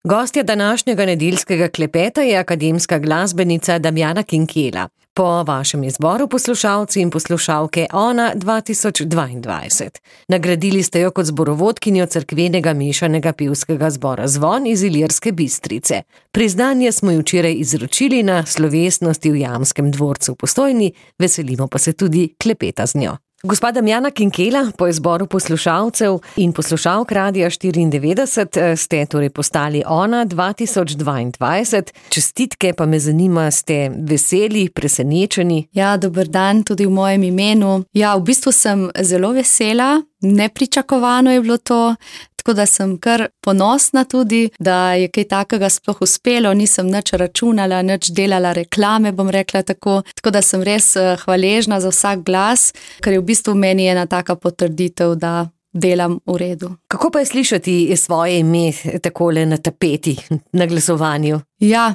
Gostja današnjega nedeljskega klepeta je akademska glasbenica Damjana Kinkelja. Po vašem izboru, poslušalci in poslušalke, ona 2022. Nagradili ste jo kot zborovodkinjo cerkvenega mešanega pevskega zbora Zvon iz Ilirske Bistrice. Priznanje smo ji včeraj izročili na slovesnosti v Jamskem dvorcu v Postojni, veselimo pa se tudi klepeta z njo. Gospa Damjana Kinkelja, po izboru poslušalcev in poslušalk Radia 94 ste torej postali ona 2022. Čestitke, pa me zanima, ste veseli, presenečeni? Ja, dober dan tudi v mojem imenu. Ja, v bistvu sem zelo vesela, nepričakovano je bilo to, tako da sem kar ponosna tudi, da je kaj takega sploh uspelo, nisem nič računala, nič delala reklame, bom rekla tako da sem res hvaležna za vsak glas, ker je v bistvu meni ena taka potrditev, da delam v redu. Kako pa je slišati svoje ime takole na tapeti, na glasovanju? Ja,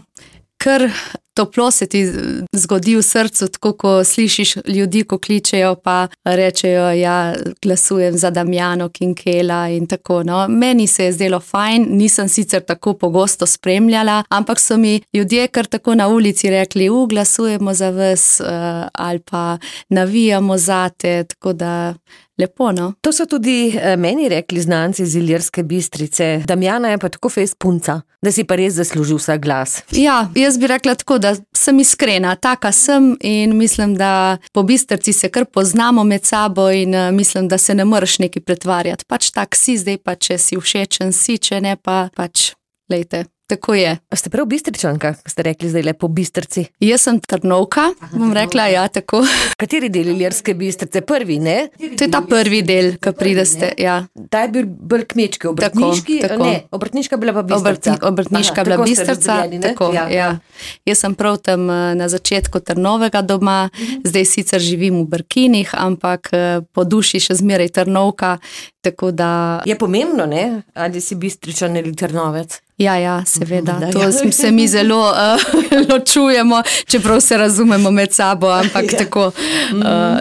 kar toplo se ti zgodi v srcu, tako ko slišiš ljudi, ko kličejo pa rečejo, ja, glasujem za Damjano Kinkelja in tako, no. Meni se je zdelo fajn, nisem sicer tako pogosto spremljala, ampak so mi ljudje kar tako na ulici rekli, glasujemo za vas ali pa navijamo zate, tako da lepo, no. To so tudi meni rekli znanci iz Ilirske Bistrice. Damjana je pa tako fejst punca, da si pa res zaslužil vsak glas. Ja, jaz bi rekla tako, da sem iskrena, taka sem in mislim, da po Bistrci se kar poznamo med sabo in mislim, da se ne moreš nekaj pretvarjati. Pač tak si zdaj, pa če si všečen si, če ne pa pač, lejte. Tako je. Ste prav Bistričanka, ste rekli zdaj po Bistrci? Jaz sem Trnovka, bom rekla, ja, tako. Kateri del Ilirske Bistrice? Prvi, ne? To je ta prvi del, ko prideste, ja. Ta je bil bolj kmečki, obrtniški, tako. Ne, obrtniška bila pa Bistrica. Obrtniška bila Bistrica, tako, ja. Jaz sem prav tam na začetku Trnovega doma, zdaj sicer živim v Brkinih, ampak po duši še zmeraj Trnovka, tako da... Je pomembno, ne? Ali si Bistričan ali Trnovec? Ja, seveda, to se mi zelo ločujemo, čeprav se razumemo med sabo, ampak tako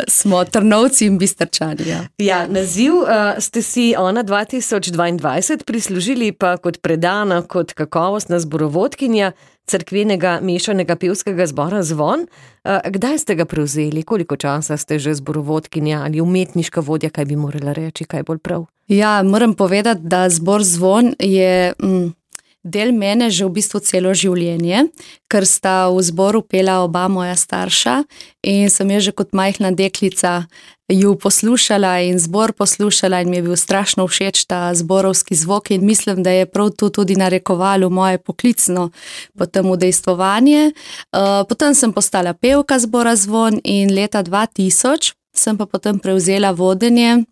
smo Trnovci in Bistrčani. Ja, naziv ste si ona 2022 prislužili pa kot predana, kot kakovostna zborovodkinja cerkvenega mešanega pevskega zbora Zvon. Kdaj ste ga prevzeli? Koliko časa ste že zborovodkinja ali umetniška vodja, kaj bi morala reči, kaj bolj prav? Ja, moram povedati, da zbor Zvon je... del mene že v bistvu celo življenje, ker sta v zboru pela oba moja starša in sem je že kot majhna deklica ju poslušala in zbor poslušala in mi je bil strašno všeč ta zborovski zvok in mislim, da je prav to tudi narekovalo moje poklicno potem udejstvovanje. Potem sem postala pevka zbora Zvon in leta 2000 sem pa potem prevzela vodenje,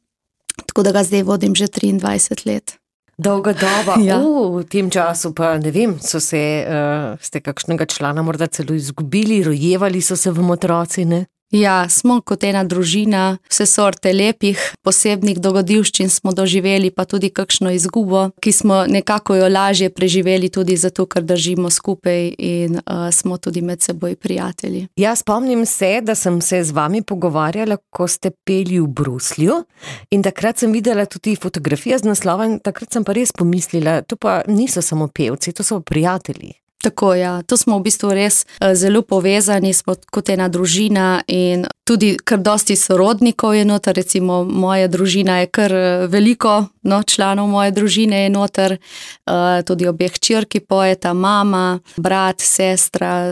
tako da ga zdaj vodim že 23 let. Dolga doba. Ja. V tem času pa ne vem, ste kakšnega člana morda celo izgubili, rojevali so se vam otroci, ne? Ja, smo kot ena družina, vse sorte lepih, posebnih dogodivščin smo doživeli, pa tudi kakšno izgubo, ki smo nekako jo lažje preživeli tudi zato, ker držimo skupaj in smo tudi med seboj prijatelji. Ja, spomnim se, da sem se z vami pogovarjala, ko ste peli v Bruslju in takrat sem videla tudi fotografije z naslova in takrat sem pa res pomislila, to pa niso samo pevci, to so prijatelji. Tako, ja, to smo v bistvu res zelo povezani, smo kot ena družina in tudi kar dosti sorodnikov je noter, recimo moja družina je kar veliko, članov moje družine je noter, tudi obe hčerki pojeta, mama, brat, sestra,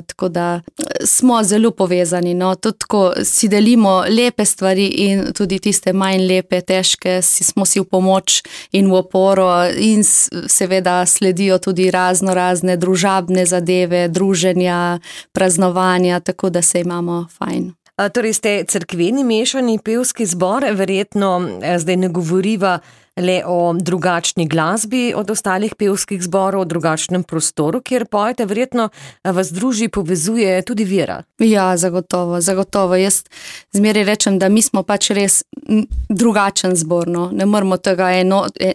tako da smo zelo povezani, tudi tako si delimo lepe stvari in tudi tiste manj lepe, težke, smo si v pomoč in v oporo in seveda sledijo tudi razne družabne zadeve, druženja, praznovanja, tako da se imamo fajn. Torej ste cerkveni mešani pevski zbor, verjetno zdaj ne govoriva le o drugačni glasbi od ostalih pevskih zborov, o drugačnem prostoru, kjer pojete, verjetno vas druži, povezuje tudi vera. Ja, zagotovo. Jaz zmeraj rečem, da mi smo pač res drugačen zbor, no. Ne moramo tega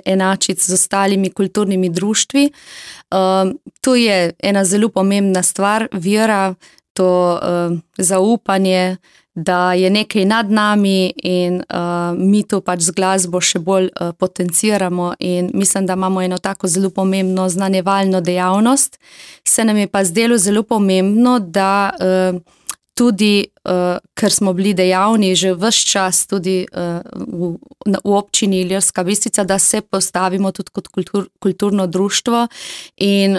enačiti z ostalimi kulturnimi društvi. To je ena zelo pomembna stvar, vera, to zaupanje, da je nekaj nad nami in mi to pač z glasbo še bolj potenciramo in mislim, da imamo eno tako zelo pomembno znanjevalno dejavnost. Se nam je pa zdelo zelo pomembno, da tudi, ker smo bili dejavni že ves čas tudi v občini Ilirska Bistrica, da se postavimo tudi kot kulturno društvo in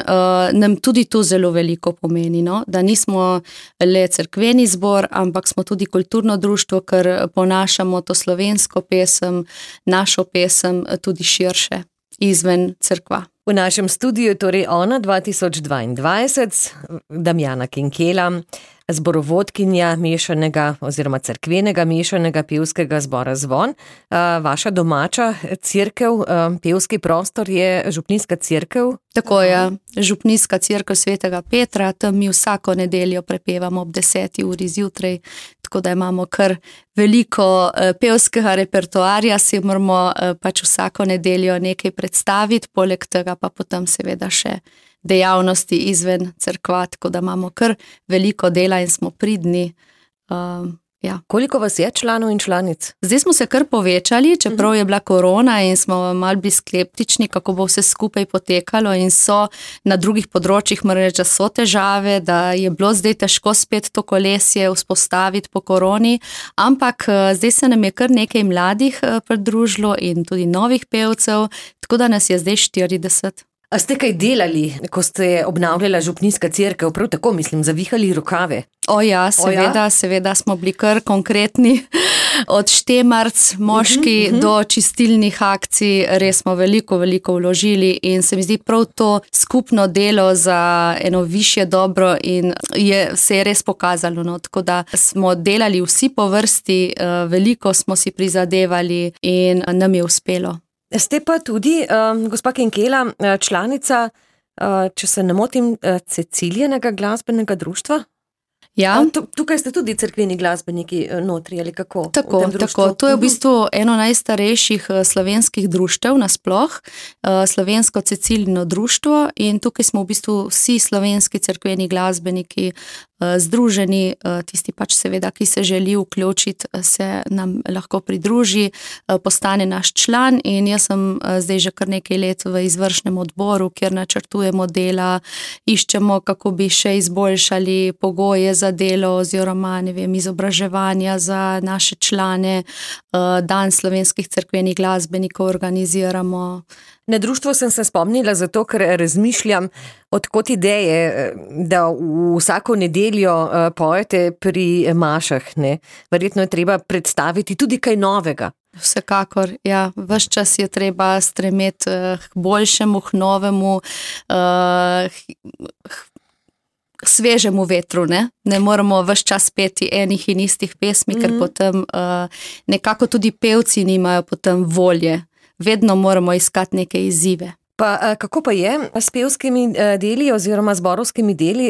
nam tudi to zelo veliko pomeni, no? Da nismo le cerkveni zbor, ampak smo tudi kulturno društvo, ker ponašamo to slovensko pesem, našo pesem tudi širše, izven cerkva. V našem studiu torej Ona 2022, Damjana Kinkela, zborovodkinja mešanega oziroma cerkvenega mešanega pevskega zbora Zvon. Vaša domača cerkev, pevski prostor je župnijska cerkev? Tako je, župnijska cerkev Svetega Petra, tam mi vsako nedeljo prepevamo ob 10. uri zjutraj, tako da imamo kar veliko pevskega repertoarja, si moramo pač vsako nedeljo nekaj predstaviti, poleg tega pa potem seveda še dejavnosti izven cerkva, tako da imamo kar veliko dela in smo pridni. Ja. Koliko vas je članov in članic? Zdaj smo se kar povečali, čeprav je bila korona in smo malo bili skeptični, kako bo vse skupaj potekalo in so na drugih področjih, moram reči, da so težave, da je bilo zdaj težko spet to kolesje vzpostaviti po koroni, ampak zdaj se nam je kar nekaj mladih pridružilo in tudi novih pevcev, tako da nas je zdaj 40. A ste kaj delali, ko ste obnavljala župnijska cerkev, prav tako mislim, zavihali rokave? Seveda smo bili kar konkretni, od štemarc, moški do čistilnih akcij, res smo veliko vložili in se mi zdi prav to skupno delo za eno višje dobro in se je res pokazalo, no? Tako da smo delali vsi po vrsti, veliko smo si prizadevali in nam je uspelo. Ste pa tudi, gospa Kinkela, članica, če se ne motim, Cecilijenega glasbenega društva? Ja. Tukaj ste tudi cerkveni glasbeniki notri, ali kako? Tako. To je v bistvu eno najstarejših slovenskih društev nasploh, slovensko Cecilijino društvo in tukaj smo v bistvu vsi slovenski cerkveni glasbeniki združeni, tisti pač seveda, ki se želi vključiti, se nam lahko pridruži, postane naš član in jaz sem zdaj že kar nekaj let v izvršnem odboru, kjer načrtujemo dela, iščemo, kako bi še izboljšali pogoje za delo oziroma, izobraževanja za naše člane, dan slovenskih cerkvenih glasbenikov organiziramo. Na društvo sem se spomnila zato, ker razmišljam, odkot ideje, da vsako nedeljo pojete pri mašah, ne? Verjetno je treba predstaviti tudi kaj novega. Vsekakor, ja. Ves čas je treba stremeti k boljšemu, k novemu, svežemu vetru, ne? Ne moramo ves čas peti enih in istih pesmi, ker potem nekako tudi pevci nimajo potem volje. Vedno moramo iskati neke izzive. Pa kako pa je s pevskimi deli oziroma zborovskimi deli?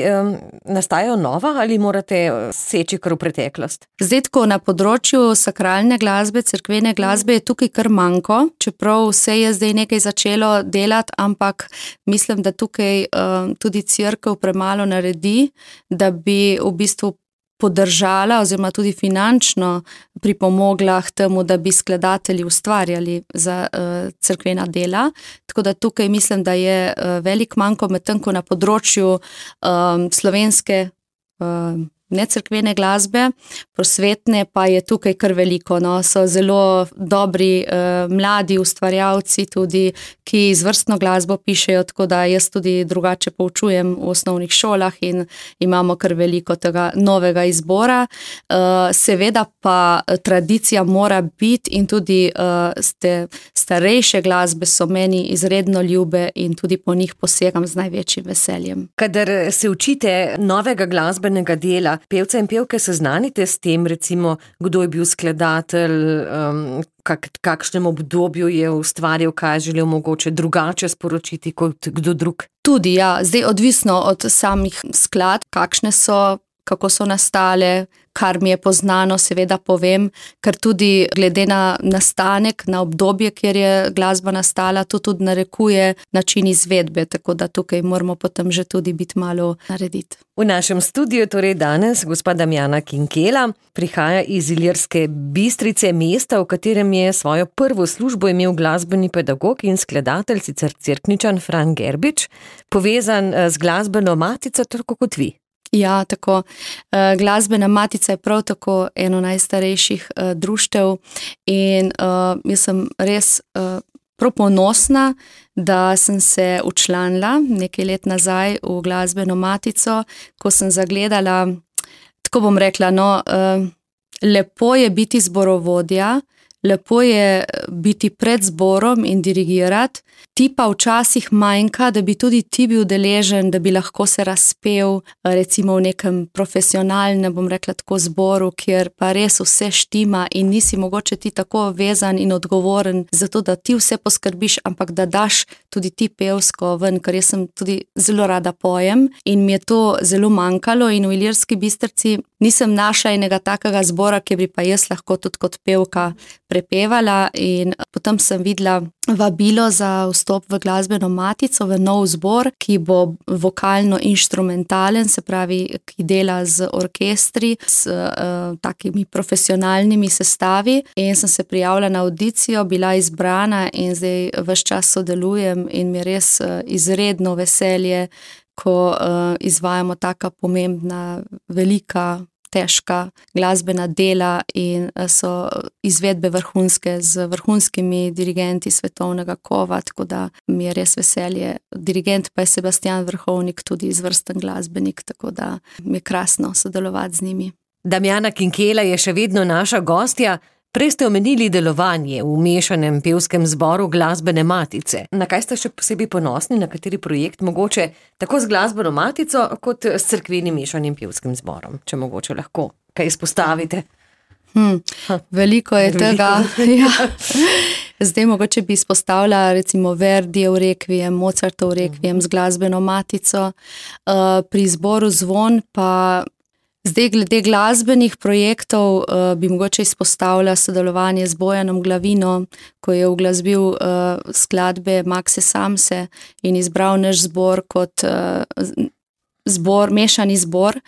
Nastajajo nova ali morate seči kar v preteklost? Zdaj tako na področju sakralne glasbe, cerkvene glasbe je tukaj kar manjko, čeprav se je zdaj nekaj začelo delati, ampak mislim, da tukaj tudi cerkev premalo naredi, da bi v bistvu podržala oziroma tudi finančno pripomogla k temu, da bi skladatelji ustvarjali za cerkvena dela. Tako da tukaj mislim, da je velik manjko, medtem ko na področju slovenske necerkvene glasbe, prosvetne pa je tukaj kar veliko. No? So zelo dobri mladi ustvarjalci tudi, ki izvrstno glasbo pišejo, tako da jaz tudi drugače poučujem v osnovnih šolah in imamo kar veliko tega novega izbora. Seveda pa tradicija mora biti in tudi starejše glasbe so meni izredno ljube in tudi po njih posegam z največjim veseljem. Kadar se učite novega glasbenega dela, pevce in pevke seznanite s tem, recimo, kdo je bil skladatelj, kakšnem obdobju je ustvarjal, kaj je želel mogoče drugače sporočiti kot kdo drug? Tudi, ja. Zdaj odvisno od samih skladb, kakšne so, kako so nastale, kar mi je poznano, seveda povem, ker tudi glede na nastanek, na obdobje, kjer je glasba nastala, to tudi narekuje način izvedbe, tako da tukaj moramo potem že tudi biti malo narediti. V našem studiu torej danes gospa Damjana Kinkela prihaja iz Ilirske Bistrice, mesta, v katerem je svojo prvo službo imel glasbeni pedagog in skladatelj, sicer Cerkničan Fran Gerbič, povezan z glasbeno matico, tako kot vi. Ja, tako. Glasbena matica je prav tako eno najstarejših društev in jaz sem res prav ponosna, da sem se včlanila nekaj let nazaj v glasbeno matico, ko sem zagledala, tako bom rekla, lepo je biti zborovodja, lepo je biti pred zborom in dirigirati, ti pa včasih manjka, da bi tudi ti bil deležen, da bi lahko se razpel recimo v nekem profesionalnem, bom rekla tako, zboru, kjer pa res vse štima in nisi mogoče ti tako vezan in odgovoren za to, da ti vse poskrbiš, ampak da daš tudi ti pevsko ven, ker jaz sem tudi zelo rada pojem in mi je to zelo manjkalo in v Ilirski Bistrici nisem našla enega takega zbora, ki bi pa jaz lahko tudi kot pevka prepevala in potem sem videla vabilo za vstop v glasbeno matico, v nov zbor, ki bo vokalno-inštrumentalen, se pravi, ki dela z orkestri, s takimi profesionalnimi sestavi in sem se prijavila na audicijo, bila izbrana in zdaj ves čas sodelujem in mi je res izredno veselje, ko izvajamo taka pomembna, velika, težka glasbena dela in so izvedbe vrhunske z vrhunskimi dirigenti svetovnega kova, tako da mi je res veselje. Dirigent pa je Sebastian Vrhovnik, tudi izvrsten glasbenik, tako da mi je krasno sodelovati z njimi. Damjana Kinkela je še vedno naša gostja. Prej ste omenili delovanje v mešanem pevskem zboru glasbene matice. Na kaj ste še posebej ponosni, na kateri projekt, mogoče tako z glasbeno matico, kot s cerkvenim mešanim pevskim zborom, če mogoče lahko kaj izpostavite? Veliko je tega. Ja. Zdaj mogoče bi izpostavila recimo Verdijev rekviem, Mozartov rekviem z glasbeno matico. Pri zboru Zvon pa zdaj glede glasbenih projektov bi mogoče izpostavila sodelovanje z Bojanom Glavino, ko je uglasbil skladbe Makse Samse in izbral naš zbor kot mešani zbor.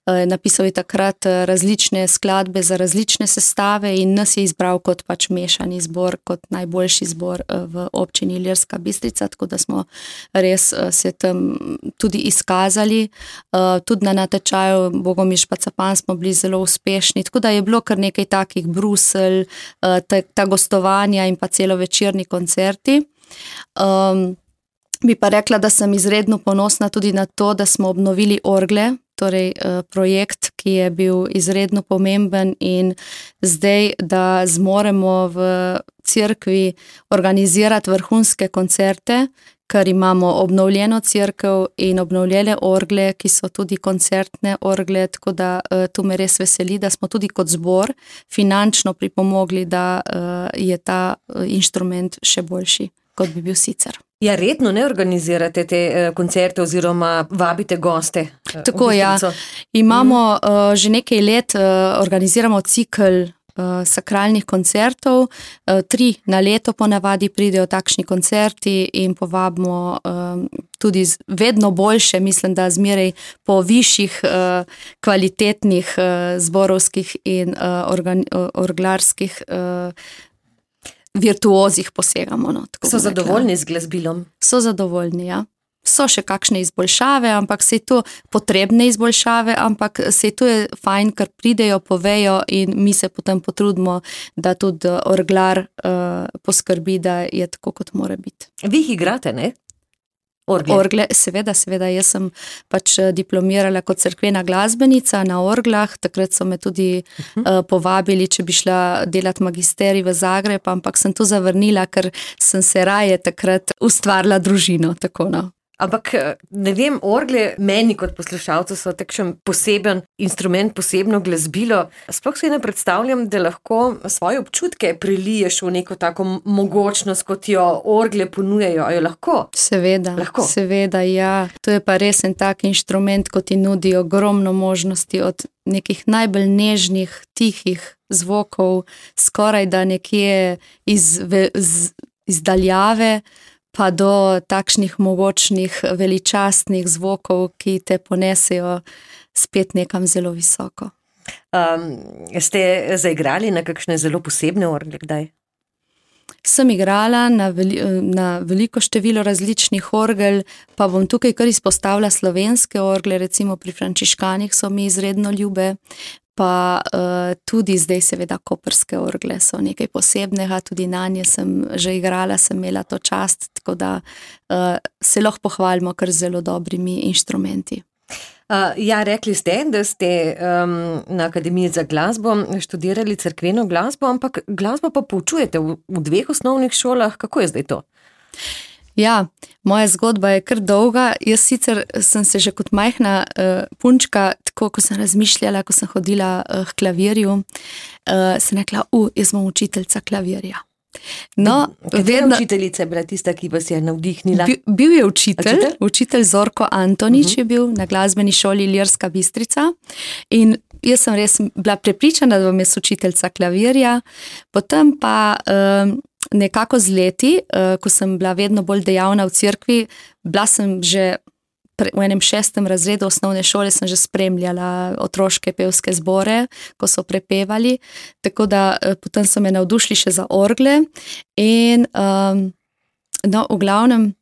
Napisal je takrat različne skladbe za različne sestave in nas je izbral kot pač mešani zbor, kot najboljši zbor v občini Ilirska Bistrica, tako da smo res se tam tudi izkazali. Tudi na natečaju Bogomil Špacapan smo bili zelo uspešni, tako da je bilo kar nekaj takih Bruselj, ta gostovanja in pa celovečerni koncerti. Bi pa rekla, da sem izredno ponosna tudi na to, da smo obnovili orgle, torej projekt, ki je bil izredno pomemben in zdaj, da zmoremo v cerkvi organizirati vrhunske koncerte, ker imamo obnovljeno cerkev in obnovljene orgle, ki so tudi koncertne orgle, tako da tu me res veseli, da smo tudi kot zbor finančno pripomogli, da je ta inštrument še boljši, kot bi bil sicer. Ja, redno ne organizirate te koncerte oziroma vabite goste? Tako, ja. Imamo že nekaj let, organiziramo cikel sakralnih koncertov, 3 na leto ponavadi pridejo takšni koncerti in povabimo tudi vedno boljše, mislim, da zmeraj po višjih kvalitetnih zborovskih in orglarskih virtuozih posegamo. So zadovoljni z glasbilom? So zadovoljni, ja. So še kakšne izboljšave, ampak se je to potrebne izboljšave, ampak se je to fajn, ker pridejo, povejo in mi se potem potrudimo, da tudi orglar poskrbi, da je tako, kot mora biti. Vi jih igrate, ne? Orgle, seveda, jaz sem pač diplomirala kot cerkvena glasbenica na orglah, takrat so me tudi povabili, če bi šla delati magisterij v Zagreb, ampak sem to zavrnila, ker sem se raje takrat ustvarila družino, tako no. Ampak, ne vem, orgle meni kot poslušalcu so takšen poseben instrument, posebno glasbilo. Sploh si ne predstavljam, da lahko svoje občutke preliješ v neko tako mogočnost, kot jo orgle ponujajo. A jo lahko? Seveda, ja. To je pa res en tak inštrument, ko ti nudi ogromno možnosti od nekih najbolj nežnih, tihih zvokov, skoraj da nekje iz daljave, pa do takšnih mogočnih, veličastnih zvokov, ki te ponesejo spet nekam zelo visoko. Ste zaigrali na kakšne zelo posebne orgle kdaj? Sem igrala na veliko število različnih orgel, pa bom tukaj kar izpostavila slovenske orgle, recimo pri frančiškanih so mi izredno ljube, pa tudi zdaj seveda koprske orgle so nekaj posebnega, tudi na nje sem že igrala, sem imela to čast, tako da se lahko pohvalimo kar zelo dobrimi inštrumenti. Ja, rekli ste, da ste na Akademiji za glasbo študirali cerkveno glasbo, ampak glasbo pa poučujete v 2 osnovnih šolah. Kako je zdaj to? Ja, moja zgodba je kar dolga. Jaz sicer sem se že kot majhna punčka, tako ko sem razmišljala, ko sem hodila k klavirju, sem rekla, jaz bom učiteljica klavirja. No, Katera učiteljica je bila tista, ki vas je navdihnila? Bil je učitelj Zorko Antonič je bil na glasbeni šoli Ilirska Bistrica in jaz sem res bila prepričana, da bom jaz učiteljica klavirja. Potem pa nekako z leti, ko sem bila vedno bolj dejavna v cerkvi, bila sem že v enem 6. razredu osnovne šole sem že spremljala otroške pevske zbore, ko so prepevali, tako da potem so me navdušili še za orgle in no, v glavnem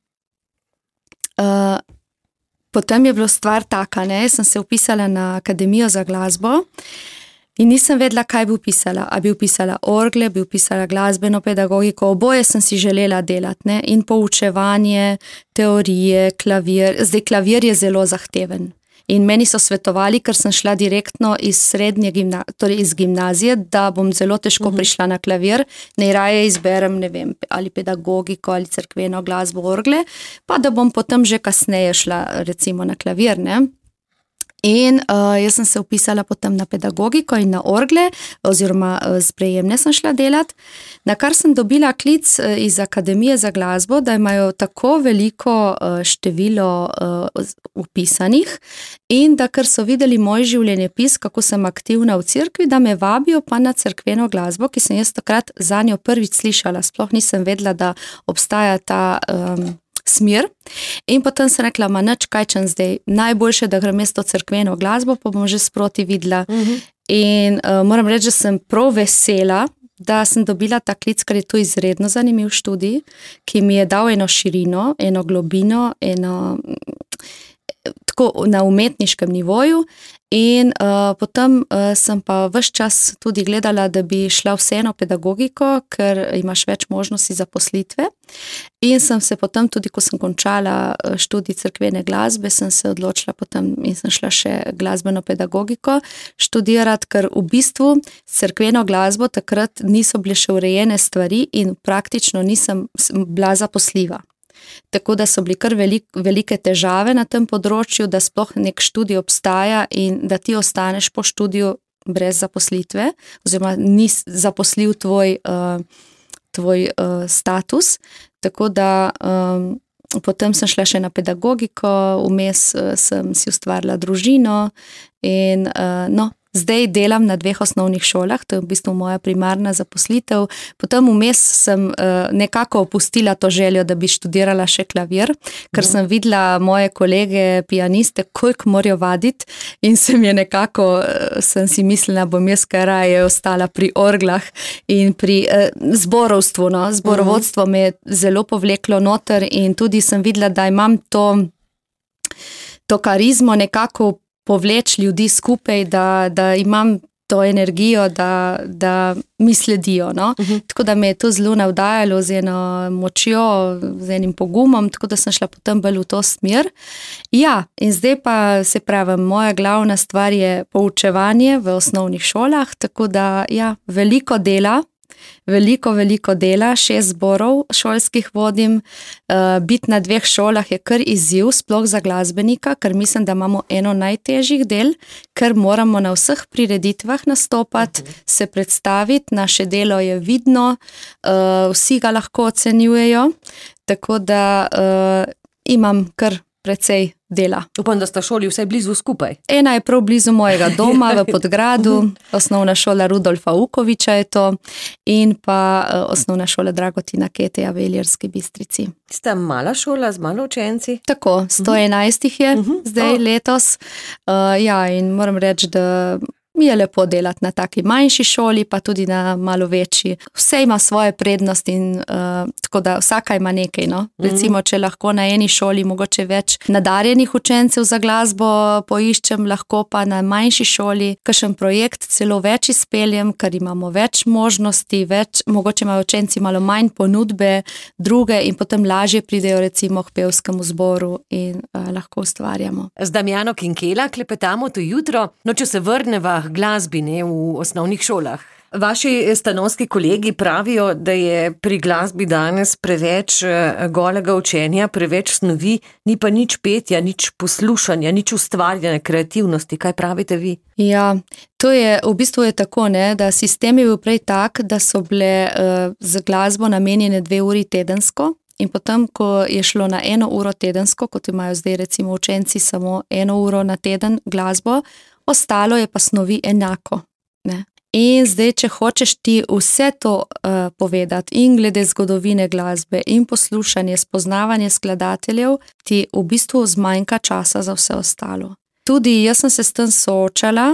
potem je bila stvar taka, jaz sem se vpisala na Akademijo za glasbo in nisem vedela, kaj bi vpisala. A bi vpisala orgle, bi vpisala glasbeno pedagogiko, oboje sem si želela delati, in poučevanje, teorije, klavir. Zdaj, klavir je zelo zahteven. In meni so svetovali, ker sem šla direktno iz iz gimnazije, da bom zelo težko prišla na klavir, najraje izberem, ne vem, ali pedagogiko, ali cerkveno glasbo, orgle, pa da bom potem že kasneje šla recimo na klavir, In jaz sem se vpisala potem na pedagogiko in na orgle, oziroma sprejemne sem šla delati, na kar sem dobila klic iz Akademije za glasbo, da imajo tako veliko število vpisanih in da ker so videli moj življenjepis, kako sem aktivna v cerkvi, da me vabijo pa na cerkveno glasbo, ki sem jaz takrat za njo prvič slišala, sploh nisem vedela, da obstaja ta smer. In potem sem rekla, nič kaj čem zdaj, najboljše, da grem mesto cerkveno glasbo, pa bom že sproti videla. In moram reči, da sem prav vesela, da sem dobila ta klic, ker je to izredno zanimiv študij, ki mi je dal eno širino, eno globino, tako na umetniškem nivoju. In potem sem pa ves čas tudi gledala, da bi šla vseeno pedagogiko, ker imaš več možnosti zaposlitve. In sem se potem tudi, ko sem končala študij cerkvene glasbe, sem se odločila potem in sem šla še glasbeno pedagogiko študirati, ker v bistvu cerkveno glasbo takrat niso bile še urejene stvari in praktično nisem bila zaposljiva. Tako da so bili kar velike težave na tem področju, da sploh nek študij obstaja in da ti ostaneš po študiju brez zaposlitve, oziroma ni zaposljiv tvoj status. Tako da potem sem šla še na pedagogiko, vmes sem si ustvarila družino in zdaj delam na 2 osnovnih šolah, to je v bistvu moja primarna zaposlitev. Potem vmes sem nekako opustila to željo, da bi študirala še klavir, ker sem videla moje kolege pianiste, koliko morajo vaditi in sem si mislila, bom jaz kaj raje ostala pri orglah in pri zborovstvu. Zborovodstvo me je zelo povleklo noter in tudi sem videla, da imam to karizmo nekako povleč ljudi skupaj, da imam to energijo, da mi sledijo. Tako da me je to zelo navdajalo z eno močjo, z enim pogumom, tako da sem šla potem bolj v to smer. Ja, in zdaj pa se pravim, moja glavna stvar je poučevanje v osnovnih šolah, tako da ja, veliko dela, veliko dela, 6 zborov šolskih vodim, biti na 2 šolah je kar izziv, sploh za glasbenika, ker mislim, da imamo eno najtežjih del, ker moramo na vseh prireditvah nastopati, se predstaviti, naše delo je vidno, vsi ga lahko ocenjujejo, tako da imam kar precej dela. Upam, da sta šoli vsaj blizu skupaj. Ena je prav blizu mojega doma v Podgradu, osnovna šola Rudolfa Ukoviča je to in pa osnovna šola Dragotina Keteja v Ilirski Bistrici. Ste mala šola z malo učenci? Tako, 111 jih je zdaj letos. Ja, in moram reči, da mi je lepo delati na taki manjši šoli, pa tudi na malo večji. Vse ima svoje prednosti in tako da vsaka ima nekaj, no. Recimo, če lahko na eni šoli mogoče več nadarjenih učencev za glasbo poiščem, lahko pa na manjši šoli kakšen projekt celo več izpeljem, ker imamo več možnosti, mogoče imajo učenci malo manj ponudbe, druge in potem lažje pridejo recimo k pevskemu zboru in lahko ustvarjamo. Z Damjano Kinkela klepetamo to jutro, no če se vrneva glasbine v osnovnih šolah. Vaši stanovski kolegi pravijo, da je pri glasbi danes preveč golega učenja, preveč snovi, ni pa nič petja, nič poslušanja, nič ustvarjanja, kreativnosti. Kaj pravite vi? Ja, to je, v bistvu je tako, ne, da sistem je bil prej tak, da so bile za glasbo namenjene 2 uri tedensko. In potem, ko je šlo na 1 uro tedensko, kot imajo zdaj recimo učenci samo 1 uro na teden glasbo, ostalo je pa snovi enako. Ne? In zdaj, če hočeš ti vse to povedati in glede zgodovine glasbe in poslušanje, spoznavanje skladateljev, ti v bistvu zmanjka časa za vse ostalo. Tudi jaz sem se s tem soočala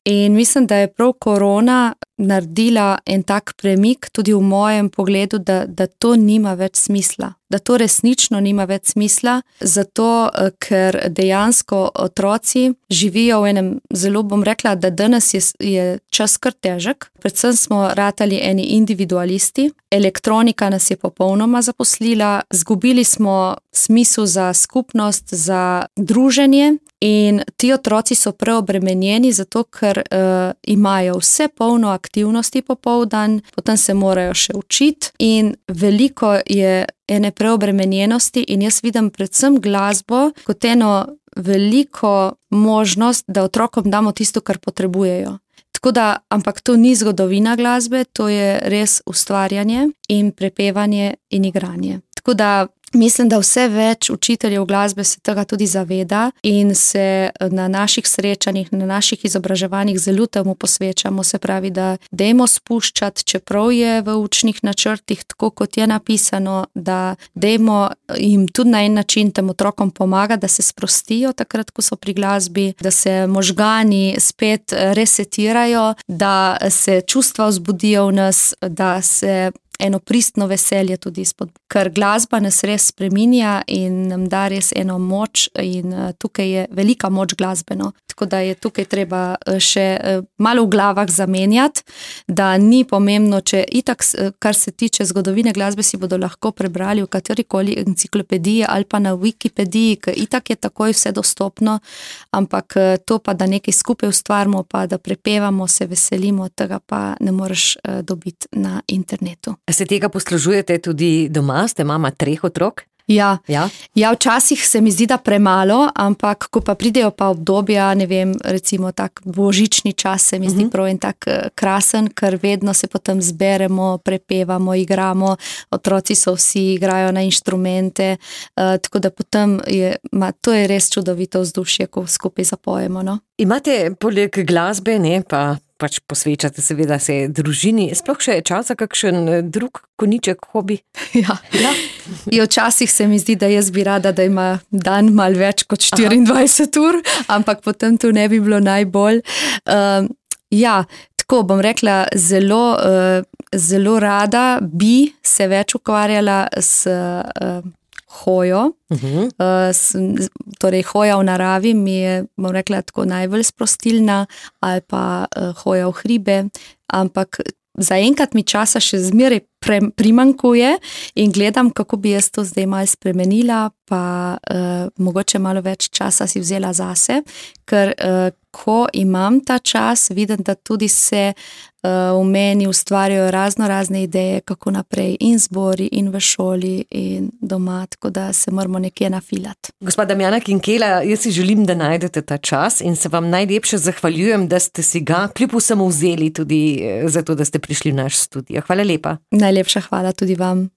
in mislim, da je prav korona naredila en tak premik tudi v mojem pogledu, da to nima več smisla. Da to resnično nima več smisla, zato ker dejansko otroci živijo v enem, zelo bom rekla, da danes je čas kar težek. Predvsem smo ratali eni individualisti, elektronika nas je popolnoma zaposlila, zgubili smo smisel za skupnost, za druženje in ti otroci so preobremenjeni, zato ker imajo vse polno aktivnosti popoldan, potem se morajo še učiti in veliko je ene preobremenjenosti in jaz vidim predvsem glasbo kot eno veliko možnost, da otrokom damo tisto, kar potrebujejo. Tako da, ampak to ni zgodovina glasbe, to je res ustvarjanje in prepevanje in igranje. Tako da mislim, da vse več učiteljev glasbe se tega tudi zaveda in se na naših srečanjih, na naših izobraževanjih zelo temu posvečamo, se pravi, da dajmo spuščati, čeprav je v učnih načrtih tako, kot je napisano, da dajmo jim tudi na en način tem otrokom pomagati, da se sprostijo takrat, ko so pri glasbi, da se možgani spet resetirajo, da se čustva vzbudijo v nas, da se eno pristno veselje tudi izpod. Ker glasba nas res spreminja in nam da res eno moč in tukaj je velika moč glasbeno. Tako da je tukaj treba še malo v glavah zamenjati, da ni pomembno, če itak, kar se tiče zgodovine glasbe, si bodo lahko prebrali v katerikoli enciklopediji ali pa na Wikipediji, ker itak je takoj vse dostopno, ampak to pa, da nekaj skupaj ustvarimo, pa da prepevamo, se veselimo, tega pa ne moreš dobiti na internetu. Se tega poslužujete tudi doma? Ste mama 3 otrok? Ja, včasih se mi zdi, da premalo, ampak ko pa pridejo pa obdobja, ne vem, recimo tak božični čas se mi zdi prav en tak krasen, ker vedno se potem zberemo, prepevamo, igramo, otroci so vsi, igrajo na inštrumente, tako da potem to je res čudovito vzdušje, ko skupaj zapojemo, no. Imate poleg glasbe, ne, pa pač posvečate seveda se družini, sploh še čas za kakšen drug koniček, hobi? Ja. Včasih se mi zdi, da jaz bi rada, da ima dan malo več kot 24 ur, ampak potem to ne bi bilo najbolj. Tako bom rekla, zelo rada bi se več ukvarjala s hojo, torej hoja v naravi mi je, bom rekla, tako najbolj sprostilna ali pa hoja v hribe, ampak zaenkrat mi časa še zmeraj primankuje in gledam, kako bi jaz to zdaj malo spremenila, pa mogoče malo več časa si vzela zase, ker ko imam ta čas, vidim, da tudi se v meni ustvarjajo razne ideje, kako naprej in zbori, in v šoli, in doma, tako da se moramo nekje nafilati. Gospa Damjana Kinkela, jaz si želim, da najdete ta čas in se vam najlepše zahvaljujem, da ste si ga kljub vsemu vzeli tudi zato, da ste prišli v naš studio. Hvala lepa. Najlepša hvala tudi vam.